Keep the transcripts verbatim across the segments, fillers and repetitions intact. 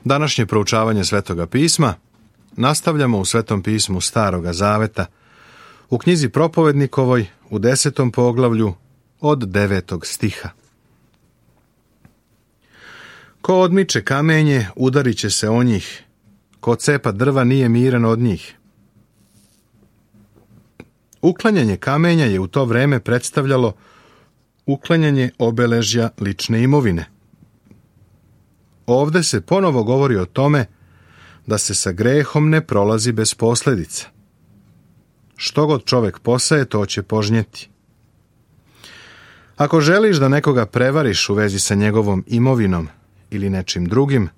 Današnje proučavanje Svetoga pisma nastavljamo u Svetom pismu Staroga zaveta, u knjizi Propovednikovoj u desetom poglavlju od devetog stiha. Ko odmiče kamenje, udarit će se o njih, ko cepa drva nije miran od njih. Uklanjanje kamenja je u to vreme predstavljalo uklanjanje obeležja lične imovine. Ovde se ponovo govori o tome da se sa grehom ne prolazi bez posljedica. Što god čovjek posaje, to će požnjeti. Ako želiš da nekoga prevariš u vezi sa njegovom imovinom ili nečim drugim,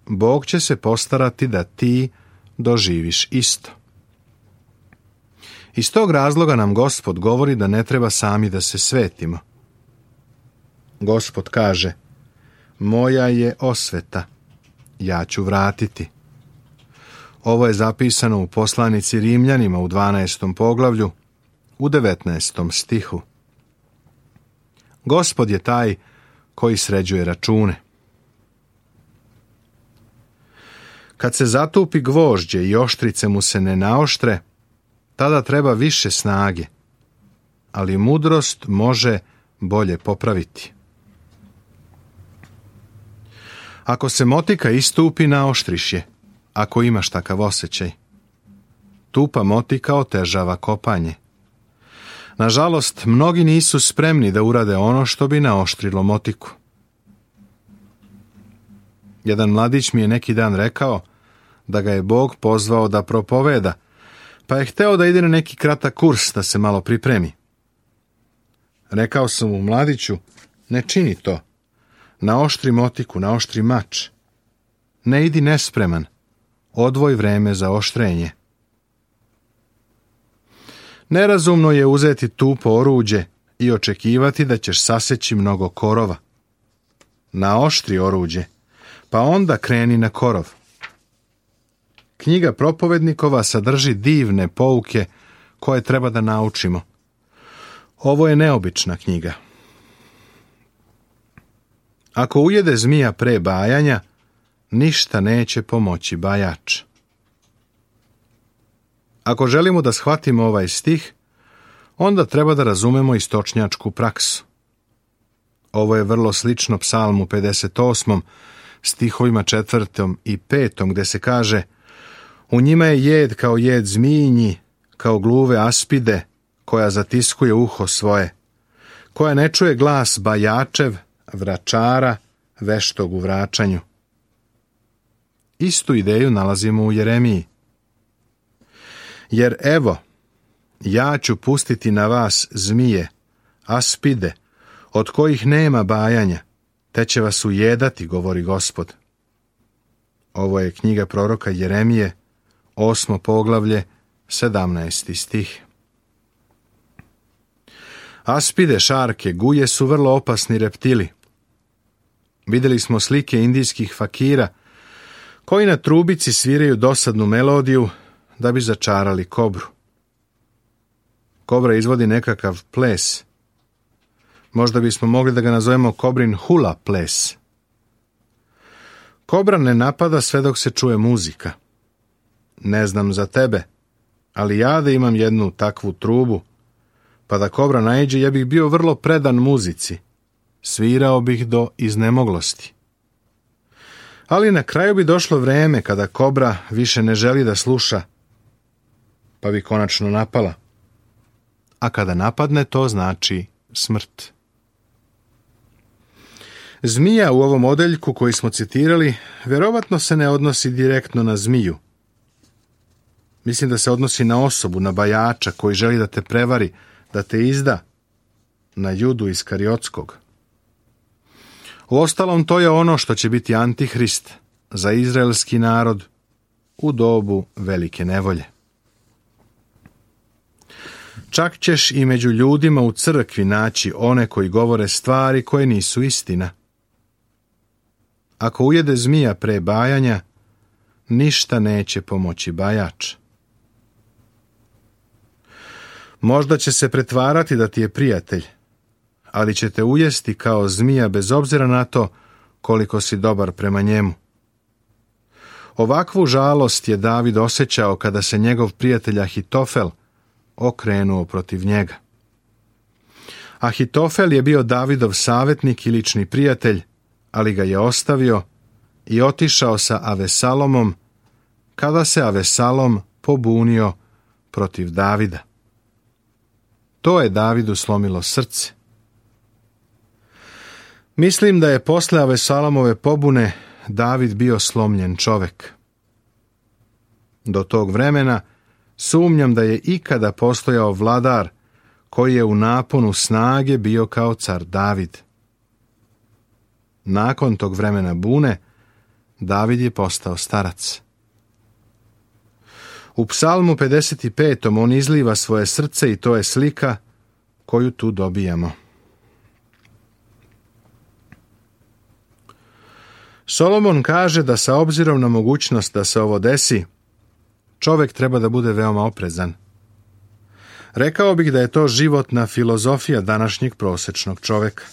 Bog će se postarati da ti doživiš isto. Iz tog razloga nam Gospod govori da ne treba sami da se svetimo. Gospod kaže: moja je osveta, ja ću vratiti. Ovo je zapisano u poslanici Rimljanima u dvanaestom poglavlju, u devetnaestom stihu. Gospod je taj koji sređuje račune. Kad se zatupi gvožđe i oštrice mu se ne naoštre, tada treba više snage, ali mudrost može bolje popraviti. Ako se motika istupi, naoštriš je, ako imaš takav osjećaj. Tupa motika otežava kopanje. Nažalost, mnogi nisu spremni da urade ono što bi naoštrilo motiku. Jedan mladić mi je neki dan rekao da ga je Bog pozvao da propoveda, pa je hteo da ide na neki kratak kurs da se malo pripremi. Rekao sam mu: mladiću, ne čini to. Naoštri motiku, naoštri mač. Ne idi nespreman. Odvoj vreme za oštrenje. Nerazumno je uzeti tupo oruđe i očekivati da ćeš saseći mnogo korova. Naoštri oruđe, pa onda kreni na korov. Knjiga Propovednikova sadrži divne pouke koje treba da naučimo. Ovo je neobična knjiga. Ako ujede zmija pre bajanja, ništa neće pomoći bajač. Ako želimo da shvatimo ovaj stih, onda treba da razumemo istočnjačku praksu. Ovo je vrlo slično Psalmu pedeset osmom, stihovima četvrtom i petom, gde se kaže: u njima je jed kao jed zmijinji, kao gluve aspide, koja zatiskuje uho svoje, koja ne čuje glas bajačev, vračara, veštog u vraćanju. Istu ideju nalazimo u Jeremiji. Jer evo, ja ću pustiti na vas zmije, aspide, od kojih nema bajanja, te će vas ujedati, govori Gospod. Ovo je knjiga proroka Jeremije, osmo poglavlje, sedamnaesti stih. Aspide, šarke, guje su vrlo opasni reptili. Vidjeli smo slike indijskih fakira koji na trubici sviraju dosadnu melodiju da bi začarali kobru. Kobra izvodi nekakav ples. Možda bismo mogli da ga nazovemo kobrin hula ples. Kobra ne napada sve dok se čuje muzika. Ne znam za tebe, ali ja da imam jednu takvu trubu, pa da kobra naiđe, ja bih bio vrlo predan muzici. Svirao bih do iznemoglosti. Ali na kraju bi došlo vreme kada kobra više ne želi da sluša, pa bi konačno napala. A kada napadne, to znači smrt. Zmija u ovom odeljku koji smo citirali vjerovatno se ne odnosi direktno na zmiju. Mislim da se odnosi na osobu, na bajača koji želi da te prevari, da te izda, na Judu Iskariotskog. Uostalom, to je ono što će biti Antihrist za izraelski narod u dobu velike nevolje. Čak ćeš i među ljudima u crkvi naći one koji govore stvari koje nisu istina. Ako ujede zmija pre bajanja, ništa neće pomoći bajač. Možda će se pretvarati da ti je prijatelj, ali će te ujesti kao zmija bez obzira na to koliko si dobar prema njemu. Ovakvu žalost je David osjećao kada se njegov prijatelj Ahitofel okrenuo protiv njega. Ahitofel je bio Davidov savjetnik i lični prijatelj, ali ga je ostavio i otišao sa Avesalomom kada se Avesalom pobunio protiv Davida. To je Davidu slomilo srce. Mislim da je posle Avesalomove pobune David bio slomljen čovek. Do tog vremena sumnjam da je ikada postojao vladar koji je u naponu snage bio kao car David. Nakon tog vremena bune, David je postao starac. U Psalmu pedeset pet. on izliva svoje srce i to je slika koju tu dobijamo. Solomon kaže da sa obzirom na mogućnost da se ovo desi, čovjek treba da bude veoma oprezan. Rekao bih da je to životna filozofija današnjeg prosječnog čovjeka.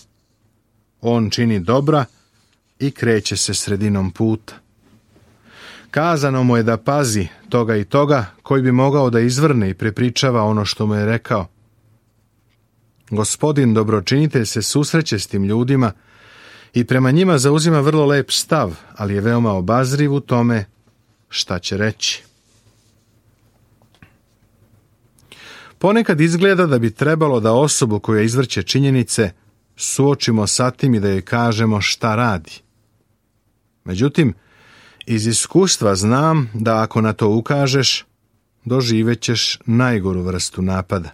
On čini dobra i kreće se sredinom puta. Kazano mu je da pazi toga i toga koji bi mogao da izvrne i prepričava ono što mu je rekao. Gospodin dobročinitelj se susreće s tim ljudima i prema njima zauzima vrlo lep stav, ali je veoma obazriv u tome šta će reći. Ponekad izgleda da bi trebalo da osobu koja izvrće činjenice suočimo sa tim i da joj kažemo šta radi. Međutim, iz iskustva znam da ako na to ukažeš, doživet ćeš najgoru vrstu napada.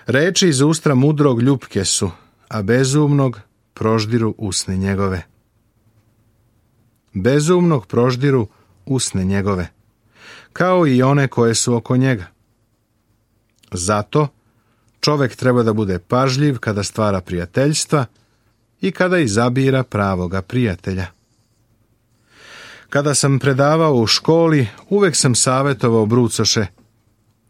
Reči iz ustra mudrog ljupke su, a bezumnog proždiru usne njegove. Bezumnog proždiru usne njegove, kao i one koje su oko njega. Zato čovjek treba da bude pažljiv kada stvara prijateljstva i kada izabira pravoga prijatelja. Kada sam predavao u školi, uvek sam savjetovao brucoše: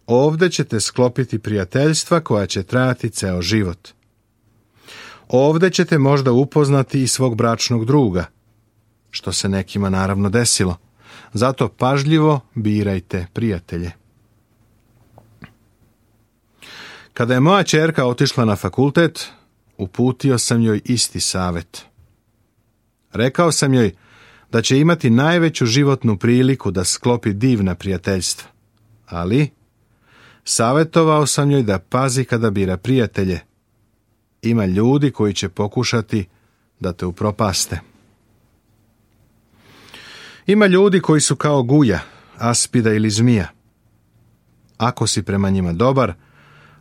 ovdje ćete sklopiti prijateljstva koja će trajati ceo život. Ovdje ćete možda upoznati i svog bračnog druga, što se nekima naravno desilo. Zato pažljivo birajte prijatelje. Kada je moja ćerka otišla na fakultet, uputio sam joj isti savjet. Rekao sam joj da će imati najveću životnu priliku da sklopi divna prijateljstva, ali savjetovao sam joj da pazi kada bira prijatelje. Ima ljudi koji će pokušati da te upropaste. Ima ljudi koji su kao guja, aspida ili zmija. Ako si prema njima dobar,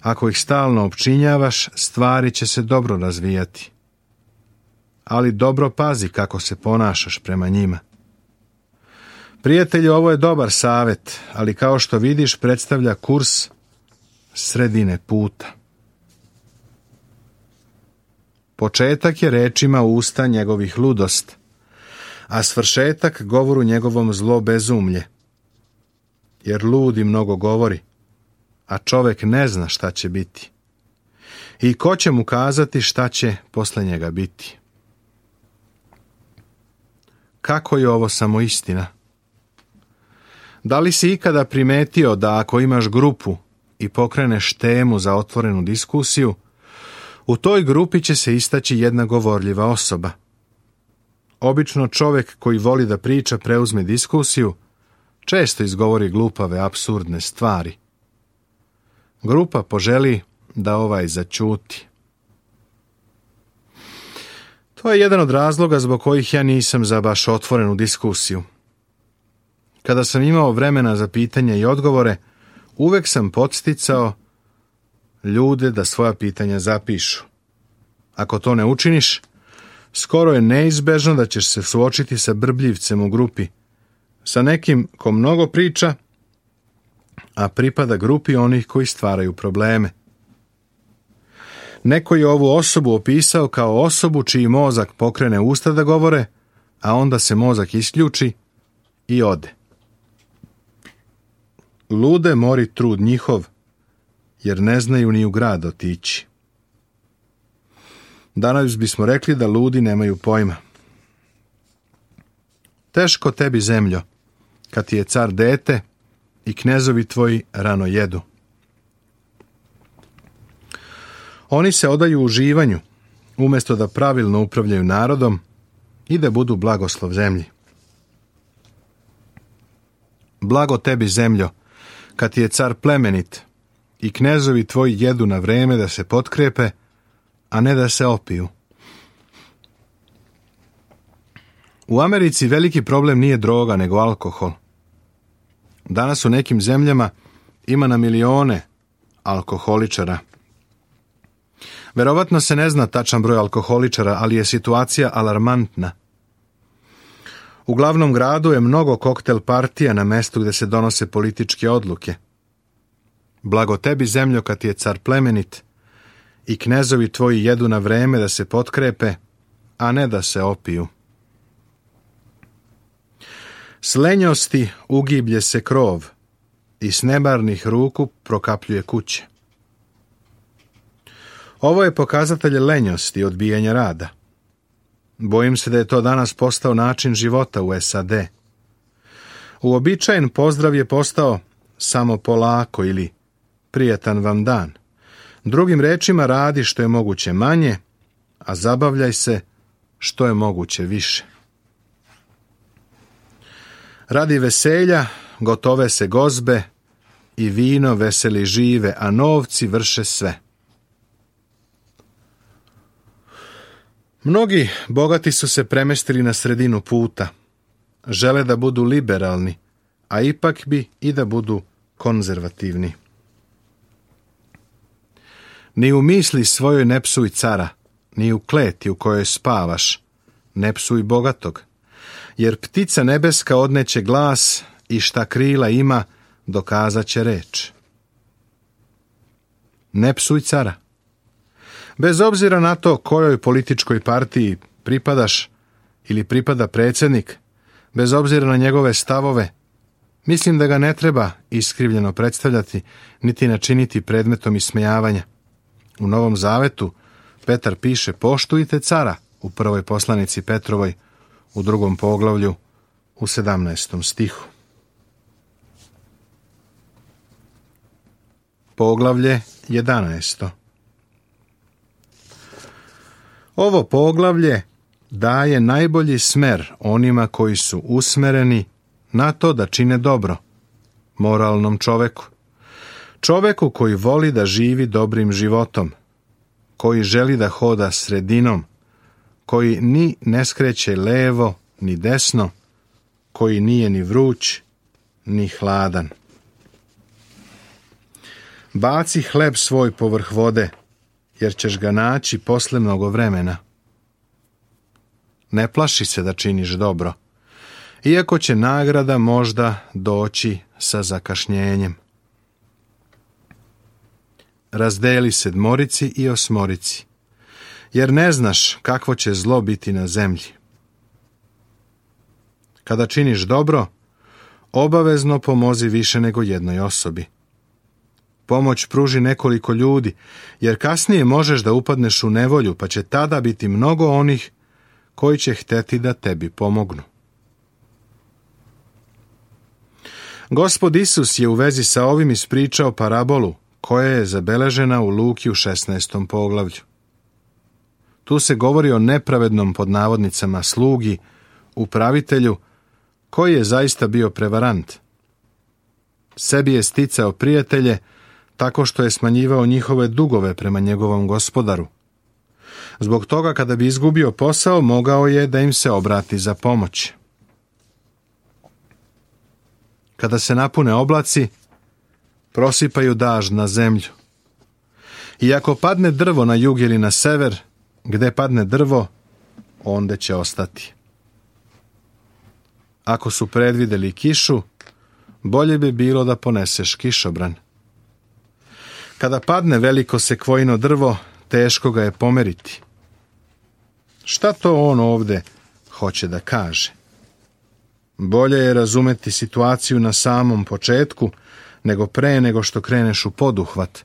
ako ih stalno opčinjavaš, stvari će se dobro razvijati. Ali dobro pazi kako se ponašaš prema njima. Prijatelju, ovo je dobar savjet, ali kao što vidiš predstavlja kurs sredine puta. Početak je rečima usta njegovih ludost, a svršetak govoru njegovom zlo bezumlje. Jer ludi mnogo govori, a čovjek ne zna šta će biti. I ko će mu kazati šta će posle njega biti? Kako je ovo samo istina? Da li si ikada primetio da ako imaš grupu i pokreneš temu za otvorenu diskusiju, u toj grupi će se istaći jedna govorljiva osoba? Obično čovjek koji voli da priča preuzme diskusiju, često izgovori glupave, apsurdne stvari. Grupa poželi da ovaj zaćuti. To je jedan od razloga zbog kojih ja nisam za baš otvorenu diskusiju. Kada sam imao vremena za pitanja i odgovore, uvek sam podsticao ljude da svoja pitanja zapišu. Ako to ne učiniš, skoro je neizbežno da ćeš se suočiti sa brbljivcem u grupi, sa nekim ko mnogo priča, a pripada grupi onih koji stvaraju probleme. Neko je ovu osobu opisao kao osobu čiji mozak pokrene usta da govore, a onda se mozak isključi i ode. Lude mori trud njihov, jer ne znaju ni u grad otići. Danas bismo rekli da ludi nemaju pojma. Teško tebi, zemljo, kad ti je car dete i knezovi tvoji rano jedu. Oni se odaju uživanju, umjesto da pravilno upravljaju narodom i da budu blagoslov zemlji. Blago tebi, zemljo, kad ti je car plemenit i knezovi tvoji jedu na vreme da se potkrepe, a ne da se opiju. U Americi veliki problem nije droga, nego alkohol. Danas u nekim zemljama ima na milione alkoholičara. Verovatno se ne zna tačan broj alkoholičara, ali je situacija alarmantna. U glavnom gradu je mnogo koktel partija na mestu gdje se donose političke odluke. Blago tebi, zemljo, kad ti je car plemenit i knezovi tvoji jedu na vreme da se potkrepe, a ne da se opiju. S lenjosti ugiblje se krov i s nemarnih ruku prokapljuje kuće. Ovo je pokazatelj lenjosti i odbijanja rada. Bojim se da je to danas postao način života u S A D. Uobičajen pozdrav je postao samo polako ili prijatan vam dan. Drugim rečima, radi što je moguće manje, a zabavljaj se što je moguće više. Radi veselja gotove se gozbe i vino veseli žive, a novci vrše sve. Mnogi bogati su se premestili na sredinu puta. Žele da budu liberalni, a ipak bi i da budu konzervativni. Ni u misli svojoj ne psuj cara, ni u kleti u kojoj spavaš, ne psuj bogatog, jer ptica nebeska odneće glas i šta krila ima, dokazat će reč. Ne psuj cara. Bez obzira na to kojoj političkoj partiji pripadaš ili pripada predsjednik, bez obzira na njegove stavove, mislim da ga ne treba iskrivljeno predstavljati, niti načiniti predmetom ismejavanja. U Novom Zavetu Petar piše: poštujte cara, u prvoj poslanici Petrovoj, u drugom poglavlju, u sedamnaestom stihu. Poglavlje jedanaesto. Ovo poglavlje daje najbolji smer onima koji su usmereni na to da čine dobro, moralnom čoveku. Čoveku koji voli da živi dobrim životom, koji želi da hoda sredinom, koji ni ne skreće levo ni desno, koji nije ni vruć ni hladan. Baci hleb svoj povrh vode, jer ćeš ga naći posle mnogo vremena. Ne plaši se da činiš dobro, iako će nagrada možda doći sa zakašnjenjem. Razdeli sedmorici i osmorici, jer ne znaš kakvo će zlo biti na zemlji. Kada činiš dobro, obavezno pomozi više nego jednoj osobi. Pomoć pruži nekoliko ljudi, jer kasnije možeš da upadneš u nevolju, pa će tada biti mnogo onih koji će hteti da tebi pomognu. Gospod Isus je u vezi sa ovim ispričao parabolu koja je zabeležena u Luki u šesnaestom poglavlju. Tu se govori o nepravednom, pod navodnicama, slugi, upravitelju, koji je zaista bio prevarant. Sebi je sticao prijatelje tako što je smanjivao njihove dugove prema njegovom gospodaru. Zbog toga, kada bi izgubio posao, mogao je da im se obrati za pomoć. Kada se napune oblaci, prosipaju dažd na zemlju. I ako padne drvo na jug ili na sever, gde padne drvo, onda će ostati. Ako su predvideli kišu, bolje bi bilo da poneseš kišobran. Kada padne veliko sekvojino drvo, teško ga je pomeriti. Šta to on ovde hoće da kaže? Bolje je razumeti situaciju na samom početku, nego pre nego što kreneš u poduhvat.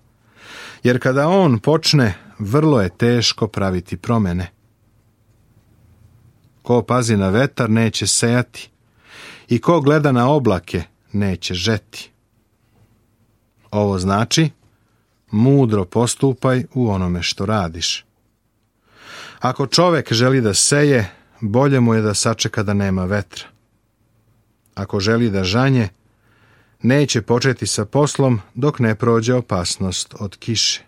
Jer kada on počne, vrlo je teško praviti promene. Ko pazi na vetar neće sejati, i ko gleda na oblake neće žeti. Ovo znači, mudro postupaj u onome što radiš. Ako čovek želi da seje, bolje mu je da sačeka da nema vetra. Ako želi da žanje, neće početi sa poslom dok ne prođe opasnost od kiše.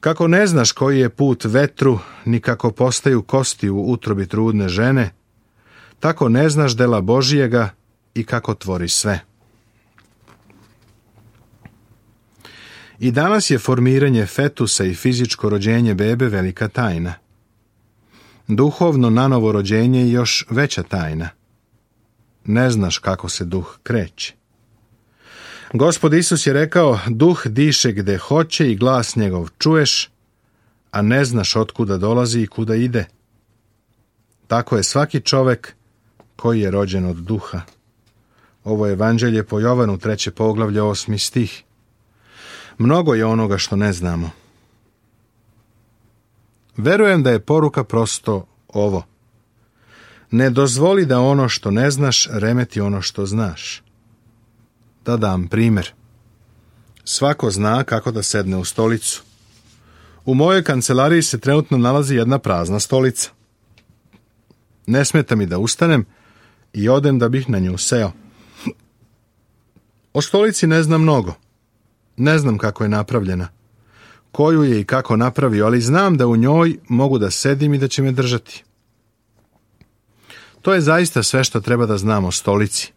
Kako ne znaš koji je put vetru, ni kako postaju kosti u utrobi trudne žene, tako ne znaš dela Božijega i kako tvori sve. I danas je formiranje fetusa i fizičko rođenje bebe velika tajna. Duhovno nanovo rođenje je još veća tajna. Ne znaš kako se duh kreće. Gospod Isus je rekao, duh diše gde hoće i glas njegov čuješ, a ne znaš otkuda dolazi i kuda ide. Tako je svaki čovek koji je rođen od duha. Ovo je evanđelje po Jovanu, treće poglavlje, osmi stih. Mnogo je onoga što ne znamo. Verujem da je poruka prosto ovo. Ne dozvoli da ono što ne znaš remeti ono što znaš. Da dam primjer. Svako zna kako da sedne u stolicu. U mojoj kancelariji se trenutno nalazi jedna prazna stolica. Ne smeta mi da ustanem i odem da bih na nju seo. O stolici ne znam mnogo. Ne znam kako je napravljena, koju je i kako napravio, ali znam da u njoj mogu da sedim i da će me držati. To je zaista sve što treba da znam o stolici.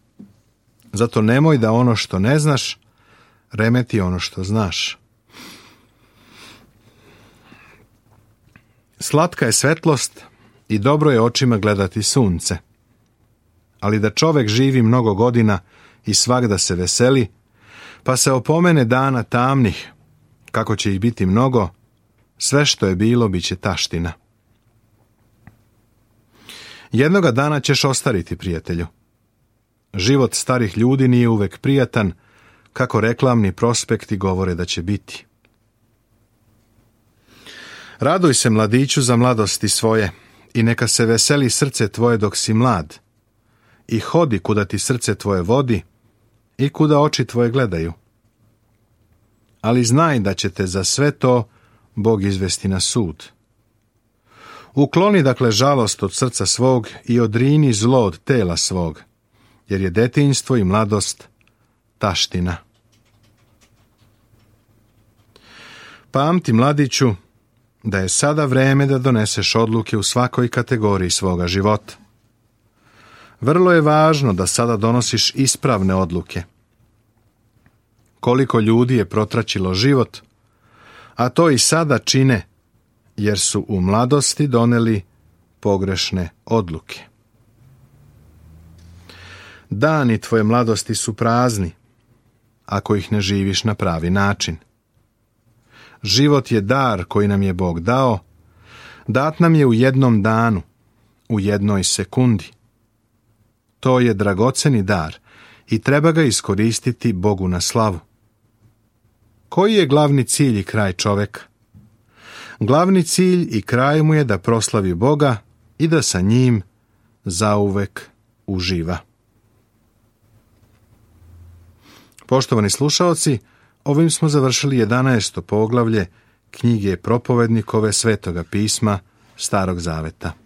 Zato nemoj da ono što ne znaš remeti ono što znaš. Slatka je svetlost i dobro je očima gledati sunce. Ali da čovek živi mnogo godina i svagda se veseli, pa se opomene dana tamnih, kako će ih biti mnogo, sve što je bilo bit će taština. Jednoga dana ćeš ostariti, prijatelju. Život starih ljudi nije uvek prijatan, kako reklamni prospekti govore da će biti. Raduj se, mladiću, za mladosti svoje i neka se veseli srce tvoje dok si mlad. I hodi kuda ti srce tvoje vodi i kuda oči tvoje gledaju. Ali znaj da će te za sve to Bog izvesti na sud. Ukloni dakle žalost od srca svog i odrini zlo od tela svog, jer je detinjstvo i mladost taština. Pamti, mladiću, da je sada vreme da doneseš odluke u svakoj kategoriji svoga života. Vrlo je važno da sada donosiš ispravne odluke. Koliko ljudi je protraćilo život, a to i sada čine, jer su u mladosti doneli pogrešne odluke. Dani tvoje mladosti su prazni, ako ih ne živiš na pravi način. Život je dar koji nam je Bog dao, dat nam je u jednom danu, u jednoj sekundi. To je dragoceni dar i treba ga iskoristiti Bogu na slavu. Koji je glavni cilj i kraj čoveka? Glavni cilj i kraj mu je da proslavi Boga i da sa njim zauvek uživa. Poštovani slušaoci, ovim smo završili jedanaesto poglavlje knjige Propovednikove Svetoga pisma Starog Zaveta.